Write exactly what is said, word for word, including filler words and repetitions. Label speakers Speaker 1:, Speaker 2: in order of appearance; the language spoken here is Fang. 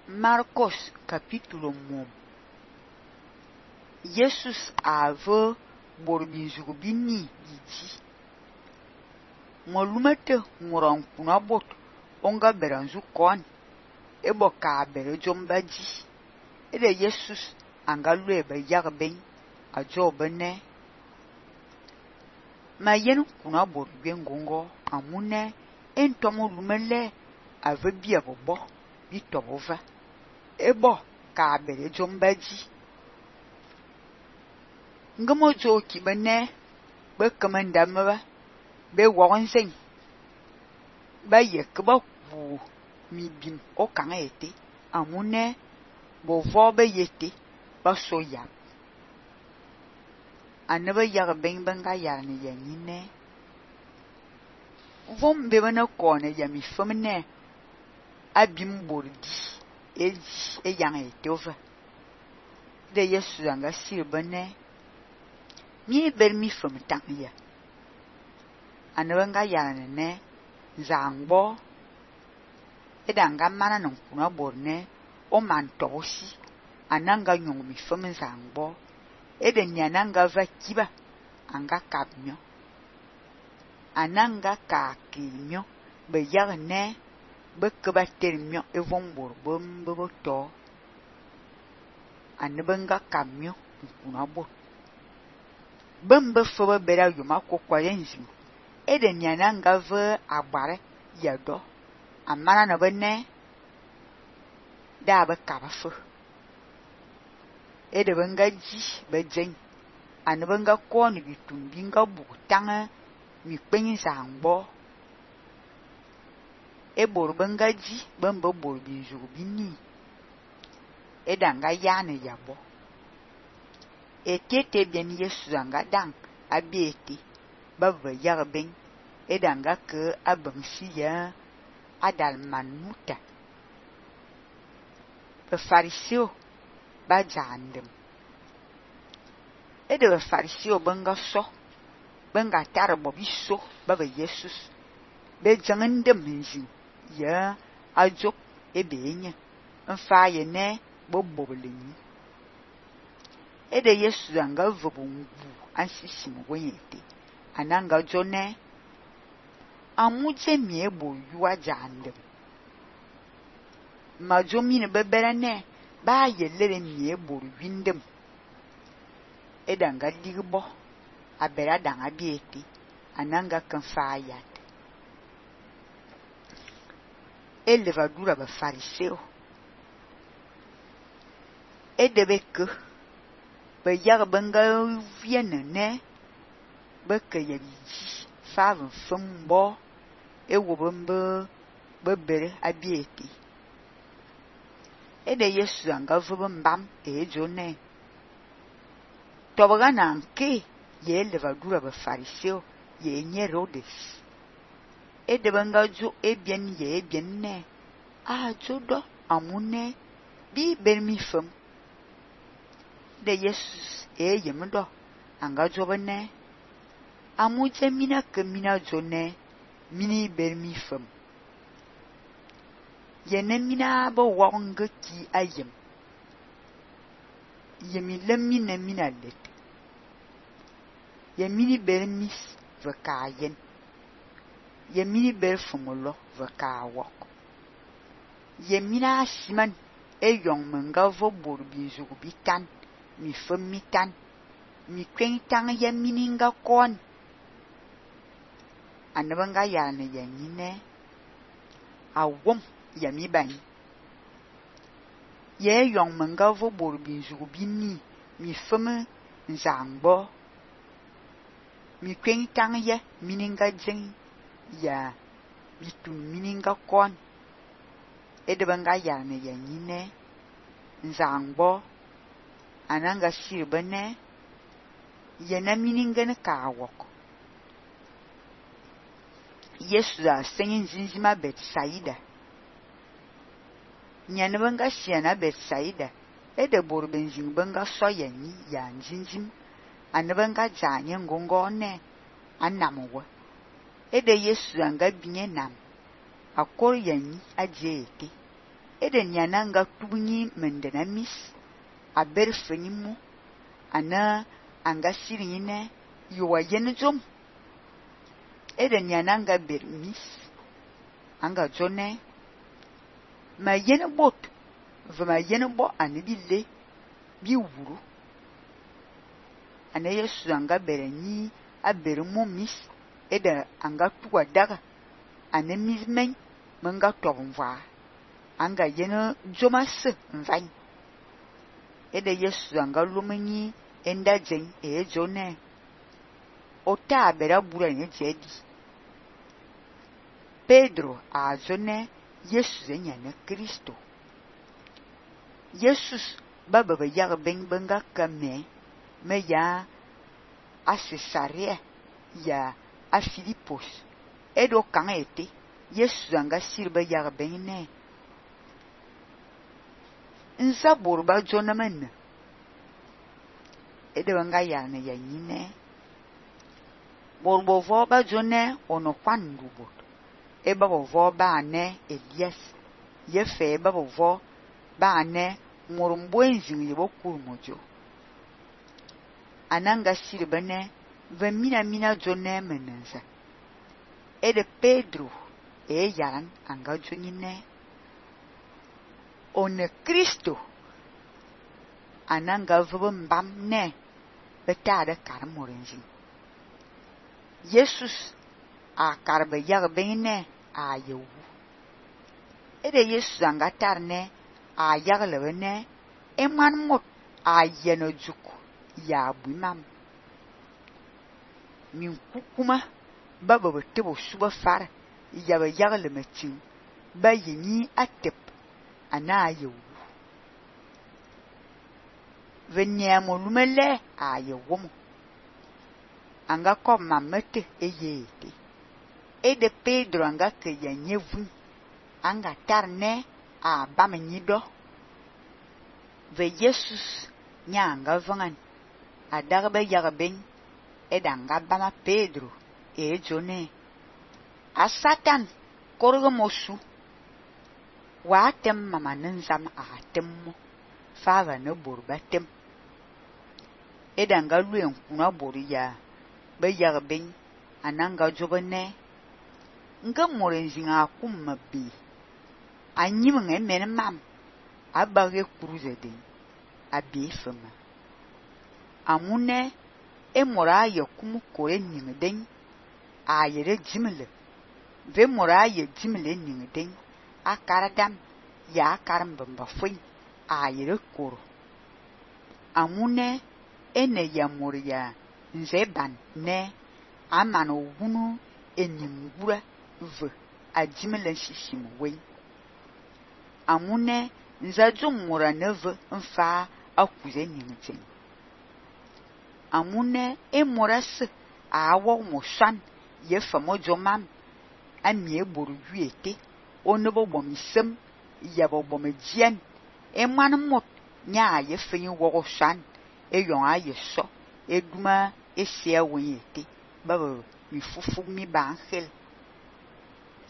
Speaker 1: Marcos capítulo um. Jesus ave borbinjugo bini gidi. Molumete nguran kuna bot onga beranzu kon ebo ka bere jombaji. Ede Jesus angalu ebe yagben ajo bene. Ma yen kuna bot bengongo amune entomo lumele ave bia bobo bitobova. Ebo ka bere jombaji. Ngamo jo ki bene be kamanda maba be wonsen ba ye kba ku mi bin o kan ete amune bo vo be yete ba soya anaba yag ben banga ya ne yanine vom be bana ko ne ya mi famne abim bordi eji e yang ete ova de Yesu anga sir bane mi ber mi fam tang ya anaba ya ne zangbo edanga mana non kuna borne o man tosi ananga nyong mi fam zangbo ede nyananga va kiba anga kapnyo ananga ka kinyo be yagne be kba termyo evon borbom bo to anabanga kamyo kuna bor bamba foba bera yuma kokwa yenzi ede nyananga va agbare yado amana na bene da ba kabafu ede banga ji bejen anabanga ko ni bitumbi nga butanga mi kpenyi zangbo e bor banga ji bamba bor binju bini edanga yana yabo etete bien Yesu anga dang abieti baba yarben edanga ke abansiya adal manuta be fariseo ba jandem ede be fariseo banga so banga tar bobiso baba Jesus be jangandem nzi ya ajo ebenye mfa ye ne boboboleni ede Yesu anga vobungu ansisi mwoyete ananga jone amuje miebo yuwa jandem majomi ne beberane ba yelere miebo windem edanga digbo abera danga bieti ananga kanfa yat elevadura ba fariseo edebeke be yag banga vienne ne beke yabiji faven fumbo ewobombe bebere abieti ede Yesu anga vumbam ejone tobagana nke ye levadura ba fariseo ye nyerodes ede banga jo ebien ye ebien ne a jodo amune bi bermi fam de Jesus e yemdo anga jobane amuje mina ke mina jone mini bermi fam yene mina bo wonga ki ayem yemi lemina mina let yemini bermis vakayen yemini berfumulo vakawok yemina siman e yong menga vo borbi zugu bitan mi fam mitan mi kwen tang yemini nga kon anabanga yana yanine awom yami bani ye yong menga vo borbi zugu bini mi fam nzangbo mi kwen tang ye mininga jeng ya bitun mininga kon edebanga yana yanine nzangbo ananga sirbane yena mininga ne kawok Yesu a senyin zinzima Betsaida nyane banga siana Betsaida ede borbenzing banga soyani ya zinzim anabanga janye ngongone anamwa ede Yesu anga binye nam akor yanyi ajete eden yana nga tubnyi mendena mis a ber fenyimu ana anga sirine yuwa yen zom eden yana nga ber mis anga jone ma yen bot vma yen bo anibile bi wuru ana Yesu anga berenyi a bermu mis eda anga tuwa daga ana mis men menga tobnva anga yen jomas mvain eda Yesu anga lumenyi enda jen e jone ota bera bura nye jedi Pedro a jone Yesu zenyane Kristo Jesus baba ba yag ben benga kame me ya a Cesarea ya a Filipos edo kan ete Yesu anga sirba yag ben ne nza borba jona men edo anga ya ne ya nyine borbo vo ba jone ono kwandu bot e baba vo ba ne Elias ye fe baba vo ba ne ngorumbo enzin ye bokur mojo ananga sirba ne va mina mina jone menenza ede Pedro e yaran anga jonine one Kristo ananga vbambam ne betade karmorenzi Jesus a karbe yagbene a yewu ede Jesus anga tarne a yaglebene eman mot a yenojuk ya bumam min kukuma baba betebo suba far yaba yaglemetin ba yini atep ana yewu venyamo lumele a yewum anga ko mamete eyete ede Pedro anga ke yanyevu anga tarne a bamenyido ve Jesus nyanga vangan adagbe yagben edanga bama Pedro e jone a Satan korgo mosu wa tem mama nzam a temmo fava ne borba tem edanga luen kuna boriya be yagben ananga jobene nga morenzinga kumma bi anyim nge men mam abage kuruze den abi fema amune e mora ya kumu kore ningden ayere jimle ve mora ya jimle ningden akaradam ya karam bamba foi ayere koro amune ene ya moria nzeban ne amano wunu eningura v ajimle shishim we amune nzajum mora neve mfa akuze ningten amune e moras a awo mosan ye famo jomam amie boru yuete onobo bomisem yabo bomejien e manmot nya ye fin wo san e yon aye so eduma e sia wete baba mi fufu mi ba angel